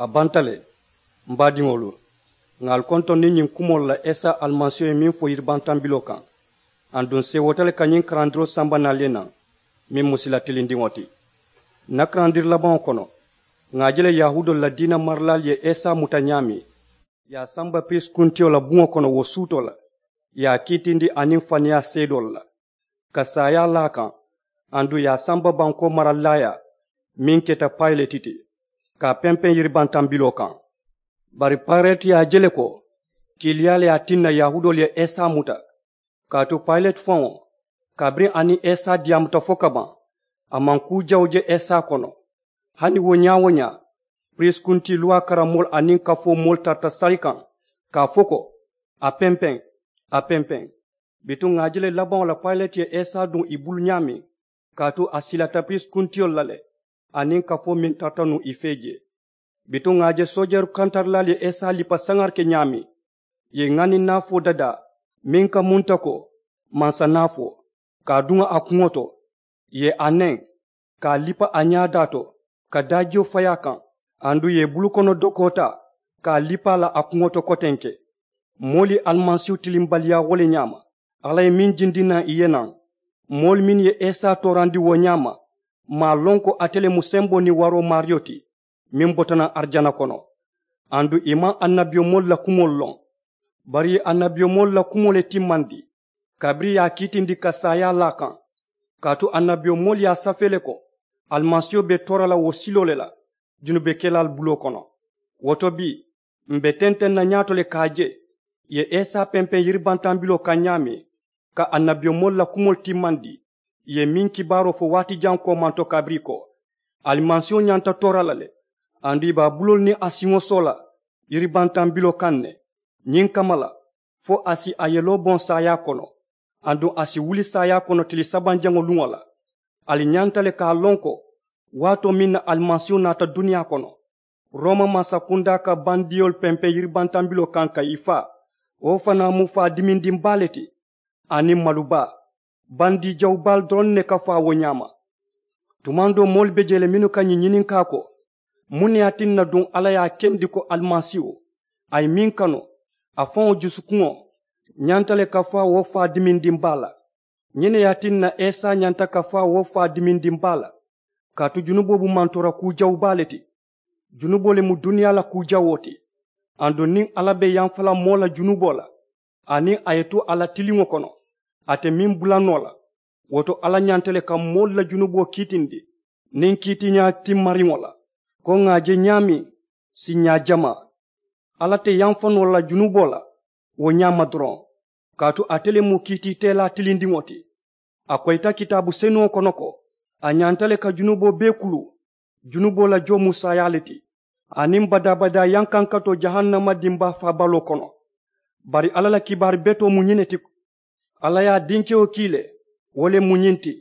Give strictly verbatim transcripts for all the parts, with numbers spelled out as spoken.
A banta le, m baadiŋolu, ŋà ali kontondi ñiŋ kumoolu la isa alimasiiho ye meŋ fo yiribantambiloo kaŋ. Aduŋ seewoota le ka ñiŋ karandiroo samba naŋ ali ye naŋ meŋ mu sila tilindiŋo ti. Ǹ na karandiri labaŋo kono, ŋà a je le yahuudoolu la diina marilaalu ye isa muta ñaameŋ, ì ye a samba piriisi kuntiyo la buŋo kono wo suutoo la, ì ye a kiitindi aniŋ faniyaa seedoolu la, ka saayaa laa a kaŋ, aduŋ ì ye a samba bankoo maralilaayaa meŋ keta payileti ti, ka a pempeŋ yiribantambiloo kaŋ. Bari payileti ye a je le ko kiiliyaa le ye a tinna yahuudoolu ye isa muta. Kaatu payileti faŋo, kabiriŋ a niŋ isa diyaamuta fo ka baŋ, a maŋ kuu jawu je isa kono. Hani wo ñaa-wo-ñaa, piriisi kuntii luwaa karammoolu aniŋ kafoo moolu tarata sali kaŋ, ka a fo ko, a pempeŋ, a pempeŋ. Bituŋ ŋà a je le labaŋo la payileti ye isa duŋ ì bulu ñaameŋ, kaatu a silata piriisi kuntiyolu la le, aniŋ kafoo meŋ tarata nuŋ ì fee jee. Bituŋ ŋà a je soojeeru kantarilaalu ye isa lipa saŋari ke ñaameŋ, ì ye ŋaniŋ naafoo dadaa meŋ ka munta ko, mansa naafoo, ka a duŋ a kuŋo to, ì ye a neŋ, ka a lipa a ñaadaa to, ka daajiyo fayi a kaŋ, aduŋ ì ye i bulukono dokoo taa, ka a lipa a la a kuŋo to kotenke. Moolu ye alimasiihu tilimbaliyaa wo le ñaama. Alla ye meŋ jindi naŋ ì ye naŋ, moolu mennu ye isa toorandi wo ñaama, maŋ a loŋ ko ate le mu semboo niŋ waroo maariyo ti, meŋ bota naŋ arijana kono. Aduŋ ì maŋ annabiyomoolu la kumoolu loŋ, bari ì ye annabiyomoolu la kumoo le timmandi, kabiriŋ ì ye a kiitindi ka saayaa laa a kaŋ. Kaatu annabiyomoolu ye a safee le ko alimasiiho be toora la wo siloo le la junubekelaalu buloo kono. Wo to bii, m̀ be tenteŋ na ñaato le ka a je ì ye isa pempeŋ yiribantambiloo kaŋ ñaameŋ, ka annabiyomoolu la kumoolu timmandi, ì ye meŋ kibaaroo fo waati jaŋ koomanto kabiriŋ ko, alimasiiho ñanta toora la le, aduŋ ì be a buloolu niŋ a siŋo soo la yiribantambiloo kaŋ ne. Ñiŋ kamma la, fo a si a yeloo boŋ saayaa kono, aduŋ a si wuli saayaa kono tili sabanjaŋo luŋo la. Ali ñanta le ka a loŋ ko, waatoo meŋ na alimasiiho naata duniyaa kono, rooma mansakundaa ka bandiyolu pempeŋ yiribantambiloo kaŋ ka ì faa, wo fanaa mu faa dimindiŋ baa le ti, aniŋ malu baa. Bandii jawu baalu doroŋ ne ka faa wo ñaama. Tumaŋ doo moolu be jee le mennu ka ñiŋ ñininkaa ko, muŋ ne ye a tinna duŋ alla ye a kendi ko alimasiiho, a ye meŋ kanu, a faŋo jusukuŋo ñanta le ka faa wo faa dimindiŋ baa la? Ñiŋ ne ye a tinna isa ñanta ka faa wo faa dimindiŋ baa la, kaatu junuboo mu mantoora kuu jawu baa le ti. Junuboo le mu duniyaa la kuu jawoo ti. Aduŋ niŋ alla be yamfa la moo la junuboo la, aniŋ a ye tu a la tiliŋo kono, ate meŋ bula noo la, wo to alla ñanta le ka moolu la junuboo kiitindi niŋ kiitiiñaa timmariŋo la, ko ŋà a je ñaameŋ siiñaa jamaa. Alla te yamfa noo la junuboo la wo ñaama doroŋ, kaatu ate le mu kiitiiteelaa tilindiŋo ti. A koyita kitaabu senuŋo kono ko, a ñanta le ka junuboo bee kuluu. Junuboo la joo mu saayaa le ti, aniŋ badaa-badaa yankankatoo jahannama dimbaa faabaloo kono. Bari alla la kibaari betoo mu ñiŋ ne ti, alla ye a dinkewo kii le. Wo le mu ñiŋ ti,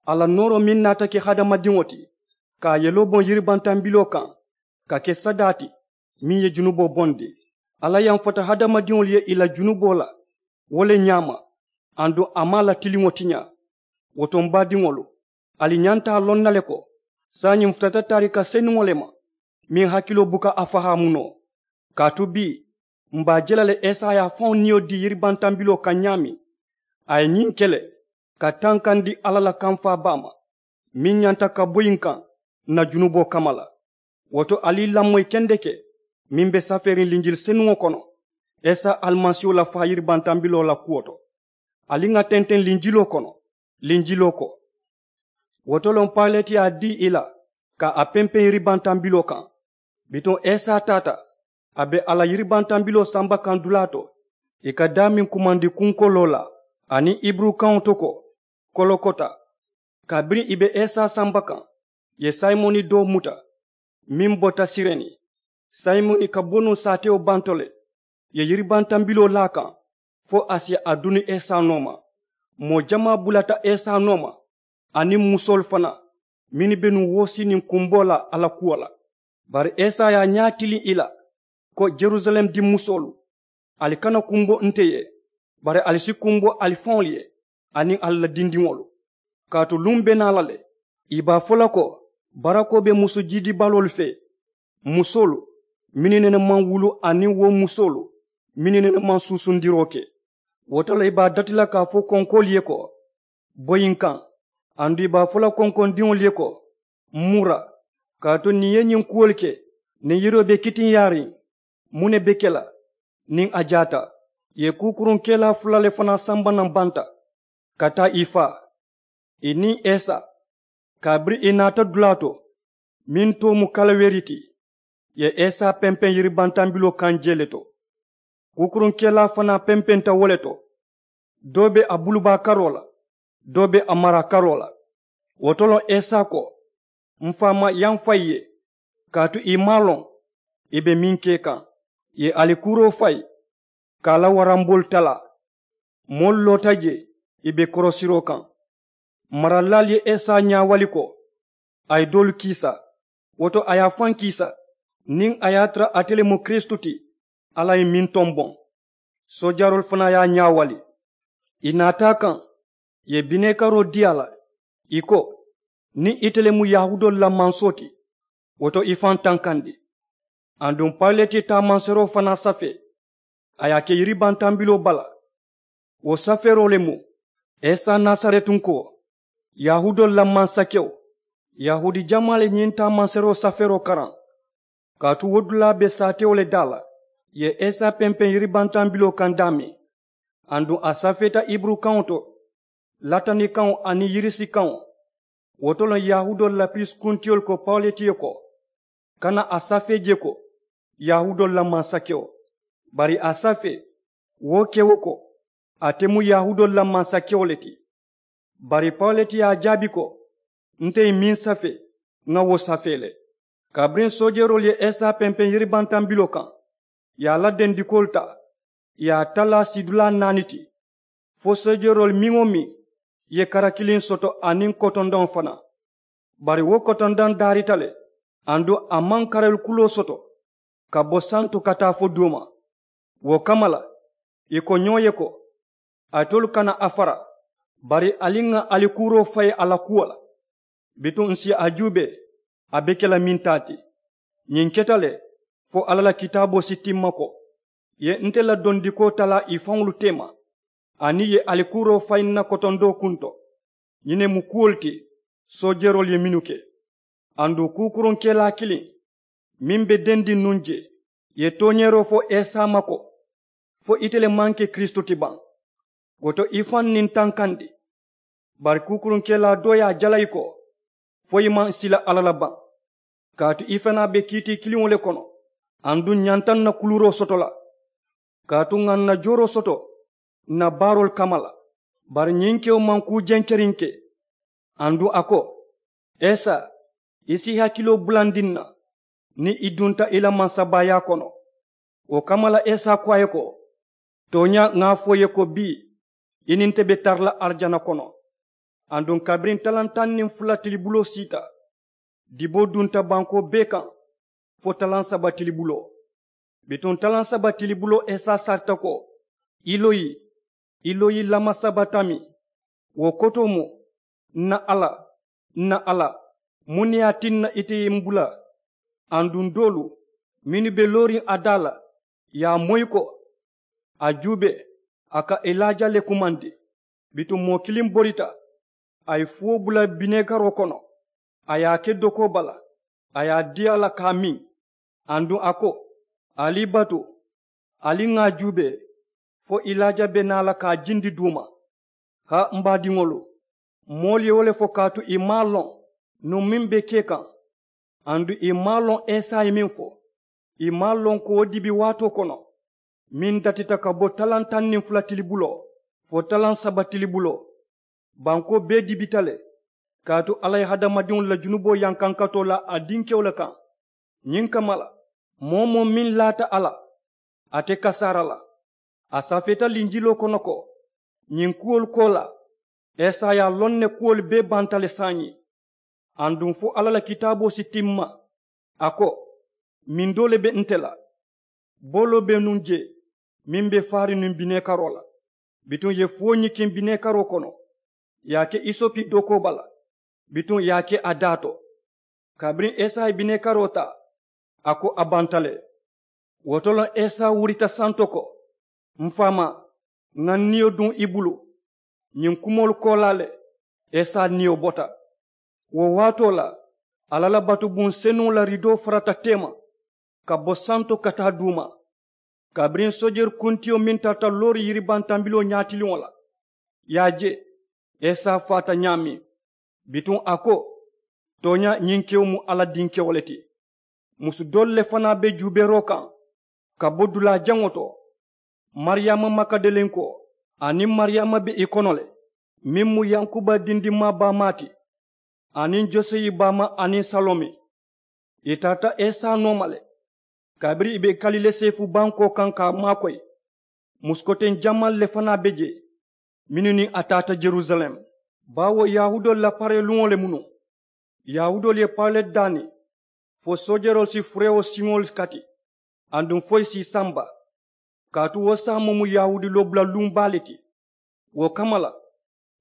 a la nooroo meŋ naata ke hadamadiŋo ti, ka a yeloo boŋ yiribantambiloo kaŋ, ka ke sadaa ti, meŋ ye junuboo bondi. Alla yamfata hadamadiŋolu ye ì la junuboo la wo le ñaama, aduŋ a maŋ a la tiliŋo tiñaa. Wo to m baadiŋolu, ali ñanta a loŋ na le ko, saayiŋ m futata taarika senuŋo le ma, meŋ hakiloo buka a fahaamu noo. Kaatu bii, m be a je la le isa ye a faŋo niyo dii yiribantambiloo kaŋ ñaameŋ, a ye ñiŋ ke le, ka tankandi alla la kamfaa baa ma, meŋ ñanta ka boyi n kaŋ n na junuboo kamma la. Wo to ali lamoyi kendeke, meŋ be safeeriŋ linjili senuŋo kono, isa alimasiiho la faa yiribantambiloo la kuwo to. Ali ŋà tenteŋ linjiloo kono, linjiloo ko. Wo to loŋ payileti ye a dii ì la, ka a pempeŋ yiribantambiloo kaŋ. Bituŋ isa taata, a be a la yiribantambiloo samba kaŋ dulaa to, ì ka daameŋ kumandi kunkoloo la, aniŋ hiburukaŋo to ko, kolokota. Kabiriŋ ì be isa samba kaŋ, ì ye simoni doo muta, meŋ bota sireni. Simoni ka bo nuŋ saatewo banto le, ì ye yiribantambiloo laa a kaŋ, fo a si a duni isa nooma. Moo jamaa bulata isa nooma, aniŋ musoolu fanaa, mennu be nuŋ woosiiniŋ kumboo la alla kuwo la. Bari isa ye a ñaa tiliŋ ì la, ko, jerusalem dimmusoolu, ali kana kumbo nte ye, bari ali si kumbo ali faŋolu ye, aniŋ ali la dindiŋolu. Kaatu luŋ be naa la le, ì be a fo la ko, barakoo be musu jiidibaloolu fee, musoolu, mennu nene maŋ wulu aniŋ wo musoolu mennu nene maŋ suusundiroo ke. Wo to le i be a dati la ka a fo konkoolu ye ko, boyi n kaŋ. Aduŋ i be a fo la konkondiŋolu ye ko, n mura, kaatu niŋ i ye ñiŋ kuwolu ke, niŋ yiroo be kitiŋyaariŋ, muŋ ne be ke la? Niŋ a jaata, i ye kuukuruŋ kelaa fula le fanaa samba naŋ banta ka taa i faa, i niŋ esa. Kabiriŋ i naata dulaa to, meŋ too mu kalaweri ti, i ye esa pempeŋ yiribantambiloo kaŋ jee le to. Kuukuruŋ kelaa fanaa pempenta wo le to. Doo be a bulubaa karoo la, doo be a maraa karoo la. Wo to loŋ esa ko, n faamaa ye a fayi i ye, kaatu i maŋ a loŋ i be meŋ ke kaŋ. I ye alikuuroo fayi ka a la waramboolu talaa. Moolu loota jee, i be korosiroo kaŋ. Maralilaalu ye esa ñaawali ko, a ye doolu kiisa. Wo to a ye a faŋ kiisa, niŋ a ye a tara ate le mu kiristu ti, alla ye meŋ tomboŋ. Soojaroolu fanaa ye a ñaawali. I naata a kaŋ, i ye bineekaroo dii a la, i ko, niŋ ite le mu yahuudoolu la mansoo ti, wo to i faŋ tankandi. Aduŋ payileti ye taamanseeroo fanaa safee, a ye a ke yiribantambiloo bala. Wo safeeroo le mu, esa nasaretunkoo, yahuudoolu la mansakewo. Yahuudi jamaa le ñiŋ taamanseeroo safeeroo karaŋ. Kaatu wo dulaa be saatewo le daa la, i ye esa pempeŋ yiribantambiloo kaŋ daameŋ. Aduŋ a safeeta iburu kaŋo to, latani kaŋo aniŋ yirisi kaŋo. Wo to loŋ yahuudoolu la piriisi kuntiyolu ko pawuleti ye ko, kana a safee je ko, yahuudoolu la mansakewo. Bari a safee, wo kewo ko, ate mu yahuudoolu la mansakewo le ti. Bari pawuleti ye a jaabi ko, nte ye meŋ safee, ŋa wo safee le. Kabiriŋ soojeroolu ye esa pempeŋ yiribantambiloo kaŋ, i ye a la dendikoolu taa, i ye a talaa sidulaa naani ti. Fo soojeroolu meŋ-wo-meŋ ye kara kiliŋ soto aniŋ kotondoŋo fanaa. Bari wo kotondoŋ daarita le, aduŋ a maŋ karali kuloo soto ka bo santo ka taa fo duuma. Wo kamma la, i ko ñoo ye ko, alitolu kana a fara, bari ali ŋa alikuuroo fayi a la kuwo la. Bituŋ ǹ si a juubee, a be ke la meŋ taa ti. Ñiŋ keta le fo alla la kitaaboo si timma ko, i ye nte la dondikoo talaa i faŋolu teema, aniŋ i ye alikuuroo fayi n na kotondoo kunto. Ñiŋ ne mu kuwolu ti soojeroolu ye mennu ke. Aduŋ kuukuruŋ kelaa kiliŋ meŋ be dendiŋ nuŋ jee, i ye tooñeeroo fo esa ma ko, fo ite le maŋ ke kiristu ti baŋ? Wo to i faŋ niŋ tankandi. Bari kuukuruŋ kelaa doo ye a jalayi ko, fo i maŋ sila alla la baŋ? Kaatu i fanaa be kiitii kiliŋo le kono. Aduŋ ñanta n na kuluuroo soto la, kaatu ŋà n na jooroo soto n na baaroolu kamma la. Bari ñiŋ kewo maŋ kuu jenkeriŋ ke. Aduŋ a ko, esa, i si i hakiloo bulandi n na niŋ i dunta i la mansabaayaa kono. Wo kamma la esa ko a ye ko, tooñaa ŋà a fo i ye ko bii, i niŋ nte be tara la arijana kono. Aduŋ kabiriŋ talaŋ taŋ niŋ fula tilibuloo siita, diboo dunta bankoo bee kaŋ fo talaŋ saba tilibuloo. Bituŋ talaŋ saba tilibuloo esa sarita ko, iloyi, iloyi lama saba tami? Wo kotoo mu, n na alla, n na alla, muŋ ne ye a tinna ite ye m bula? Aduŋ doolu mennu be looriŋ a daa la, ye a moyi ko, a juubee, a ka elaaja le kumandi. Bituŋ moo kiliŋ borita, a ye fuwo bula bineekaroo kono, a ye a ke dokoo bala, a ye a dii a la ka a miŋ. Aduŋ a ko, ali i batu, ali ŋà a juubee, fo elaaja be naa la ka a jindi duuma. Haa m baadiŋolu, moolu ye wo le fo kaatu ì maŋ a loŋ nuŋ meŋ be kee kaŋ. Aduŋ ì maŋ a loŋ esa ye meŋ fo, ì maŋ a loŋ ko wo dibi waatoo kono meŋ datita ka bo talaŋ taŋ niŋ fula tilibuloo fo talaŋ saba tilibuloo, bankoo bee dibita le. Kaatu alla ye hadamadiŋolu la junuboo yankankatoo la a dinkewo le kaŋ. Ñiŋ kamma la, moo-wo-moo meŋ laata a la, ate kasaara la. A safeeta linjiloo kono ko, ñiŋ kuwolu koolaa, esa ye a loŋ ne kuwolu bee banta le saayiŋ. Aduŋ fo alla la kitaaboo si timma, a ko, mindoo le be nte la, booloo be nuŋ jee meŋ be faariŋ nuŋ bineekaroo la. Bituŋ ì ye fuwo ñikiŋ bineekaroo kono, ì ye a ke isopi dokoo bala, bituŋ ì ye a ke a daa to. Kabiriŋ esa ye bineekaroo taa, a ko a banta le. Wo to la esa wurita santo ko, m faamaa, ŋà n niyo duŋ i bulu. Ñiŋ kumoolu koolaa le, esa niyo bota. Wo waatoo la, alla la batubuŋ senuŋo la ridoo farata teema ka bo santo ka taa duuma. Kabiriŋ soojeeri kuntiyo meŋ tarata loori yiribantambiloo ñaatiliŋo la, i ye a je esa faata ñaameŋ. Bituŋ a ko, tooñaa ñiŋ kewo mu alla dinkewo le ti. Musu doolu le fanaa be juubeeroo kaŋ ka bo dulaa jaŋo to. Mariyaama makadalenkoo aniŋ mariyaama be i kono le, meŋ mu yankuba dindimmaa baamaa ti, aniŋ joseyi baamaa aniŋ salome. I taata esa nooma le. Kabiriŋ i be kalilee seefu bankoo kaŋ ka a maakoyi, musukoteŋ jamaalu le fanaa be jee mennu niŋ a taata yerusalem. Baawo yahuudoolu la paree luŋo le mu nuŋ. Yahuudoolu ye payilati daani fo soojeroolu si furewo siŋolu kati aduŋ fo i si i samba. Kaatu wo saamoo mu yahuudi loobula luŋ baa le ti. Wo kamma la,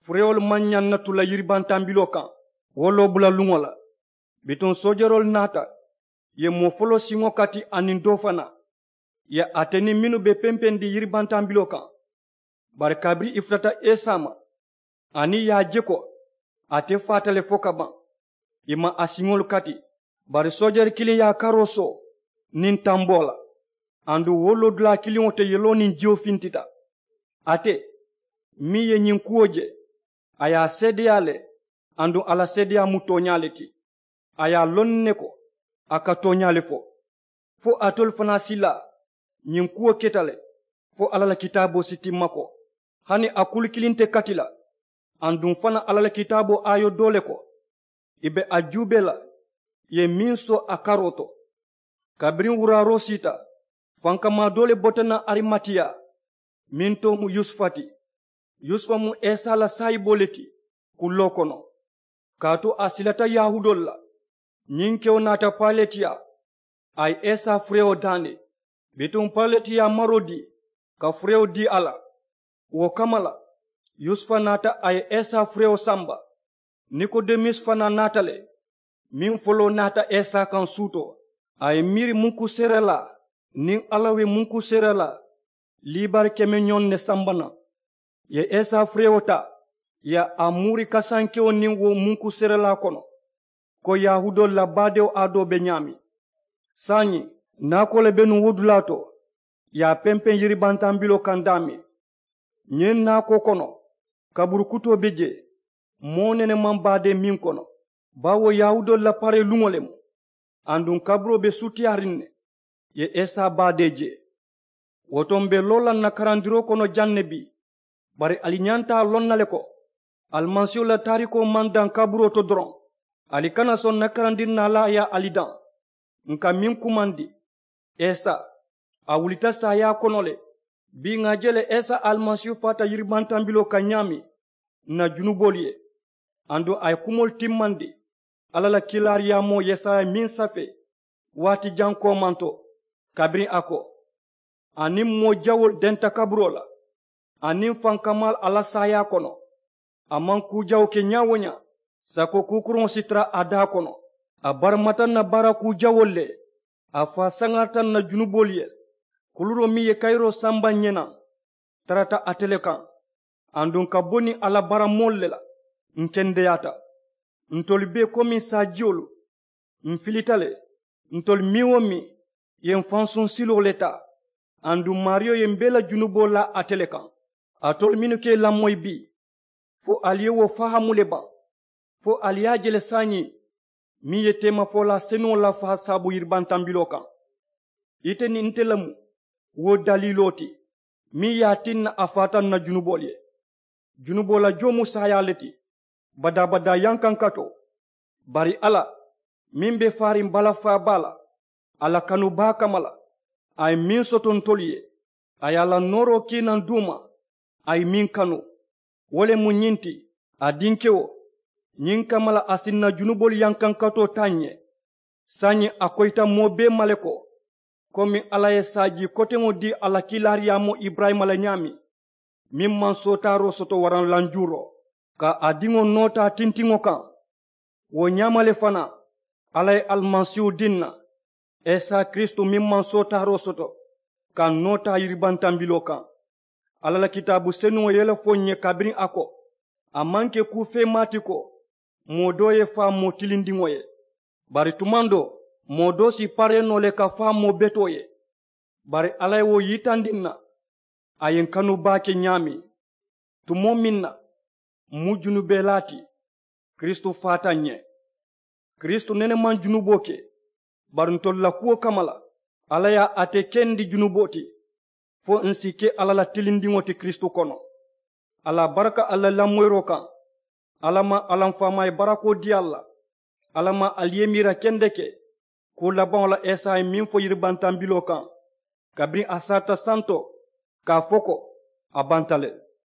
furewolu maŋ ñaŋ na tu la yiribantambiloo kaŋ wo loobula luŋo la. Bituŋ soojeroolu naata, i ye moo foloo siŋo kati aniŋ doo fanaa, i ye ate niŋ mennu be pempendi yiribantambiloo kaŋ. Bari kabiriŋ i futata esa ma, aniŋ i ye a je ko ate faata le fo ka baŋ, i maŋ a siŋolu kati. Bari soojeeri kiliŋ ye a karoo soo niŋ tamboo la. Aduŋ wo loodulaa kiliŋo to yeloo niŋ jiyo fintita. Ate meŋ ye ñiŋ kuwo je, a ye a seedeyaa le. Aduŋ a la seedeyaa mu tooñaa le ti. A ye a loŋ ne ko a ka tooñaa le fo. Fo alitolu fanaa si laa ñiŋ kuwo keta le, fo alla la kitaaboo si timma ko, hani a kulu kiliŋ te kati la. Aduŋ fanaa alla la kitaaboo aayo doo le ko, i be a juubee la, i ye meŋ soo a karoo to. Kabiriŋ wuraaroo siita, fankamaa doo le bota naŋ arimatiya, meŋ too mu yusufa ti. Yusufa mu esa la saayiboo le ti kulloo kono. Kaatu a silata yahuudoolu la. Ñiŋ kewo naata payileti yaa, a ye esa furewo daani. Bituŋ payileti ye a maroo dii ka furewo dii a la. Wo kamma la, yusufa naata a ye esa furewo samba. Nikodemusi fanaa naata le, meŋ foloo naata esa kaŋ suutoo. A ye miiri munkuseerelaa niŋ alla we munkuseerelaa liibari keme ñoŋ ne samba naŋ. I ye esa furewo taa, i ye a muuri kasankewo niŋ wo munkuseerelaa kono, ko yahuudoolu la baadewo aadoo be ñaameŋ. Saayiŋ, naakoo le be nuŋ wo dulaa to, i ye a pempeŋ yiribantambiloo kaŋ daameŋ. Ñiŋ naakoo kono, kaburu kutoo be jee, moo nene maŋ baadee meŋ kono. Baawo yahuudoolu la paree luŋo le mu. Aduŋ kaburoo be sutiyaariŋ ne, i ye esa baadee je. Wo to m be loo la n na karandiroo kono jaŋ ne bii. Bari ali ñanta a loŋ na le ko, alimasiiho la taarikoo maŋ daŋ kaburoo to doroŋ. Ali kana soŋ n na karandiri naalaa ye ali daŋ. N ka meŋ kumandi, esa, a wulita saayaa kono le. Bii ŋà a je le esa alimasiihu faata yiribantambiloo kaŋ ñaameŋ, n na junuboolu ye. Aduŋ a ye kumoolu timmandi alla la kiilaariyaamoo yesaya meŋ safee waati jaŋ koomanto, kabiriŋ a ko, aniŋ moo jawoolu denta kaburoo la, aniŋ fankamaalu a la saayaa kono. A maŋ kuu jawoo ke ñaa-wo-ñaa, sako kuukuruŋo si tara a daa kono. A baramata n na baara kuu jawoolu le. A faa saŋarata n na junuboolu ye. Kuluroo meŋ ye kayiroo samba ǹ ye naŋ, tarata ate le kaŋ. Aduŋ ka bo niŋ a la baaramoolu le la, ǹ kendeyaata. Ntolu bee komi saajiyolu, m filita le. Ntolu meŋ-wo-meŋ ye m fansuŋ siloo le taa. Aduŋ maariyo ye m bee la junuboo laa ate le kaŋ. Alitolu mennu ka i lamoyi bii, fo ali ye wo fahaamu le baŋ? Fo ali ye a je le saayiŋ meŋ ye teemafolaa senuŋo lafaa saabu yiribantambiloo kaŋ? Ite niŋ nte le mu wo daliiloo ti meŋ ye a tinna a faata n na junuboolu ye. Junuboo la joo mu saayaa le ti, badaa-badaa yankankatoo. Bari alla meŋ be faariŋ balafaa baa la, a la kanu baa kamma la, a ye meŋ soto ntolu ye, a ye a la nooroo kii naŋ duuma, a ye meŋ kanu. Wo le mu ñiŋ ti, a dinkewo, ñiŋ kamma la a si n na junuboolu yankankatoo taa ǹ ye. Saayiŋ a koyita moo bee ma le ko, komi alla ye saajii koteŋo dii a la kiilaariyaamoo iburayima la ñaameŋ, meŋ maŋ sootaaroo soto waraŋ lanjuuroo, ka a diŋo noo taa tintiŋo kaŋ. Wo ñaama le fanaa, alla ye alimasiihu dii n na, esa kiristu meŋ maŋ sootaaroo soto, ka n noo taa yiribantambiloo kaŋ. Alla la kitaabu senuŋo ye le fo n ye kabiriŋ a ko, a maŋ ke kuu feemaa ti ko moo doo ye faa moo tilindiŋo ye. Bari tumaŋ doo moo doo si paree noo le ka faa moo betoo ye. Bari alla ye wo yitandi n na, a ye n kanu baake ñaameŋ. Tumoo meŋ na m mu junubelaa ti, kiristu faata n ye. Kiristu nene maŋ junuboo ke. Bari ntolu la kuwo kamma la, alla ye a te kendi junuboo ti, fo ǹ si ke alla la tilindiŋo ti kiristu kono. Alla baraka alla la lamoyiroo kaŋ. Alla maŋ alla m faamaayi barakoo dii alla la. Alla maŋ ali ye miira kendeke kuu labaŋo la esaayi meŋ fo yiribantambiloo kaŋ, kabiriŋ a saata santo ka a fo ko a banta le.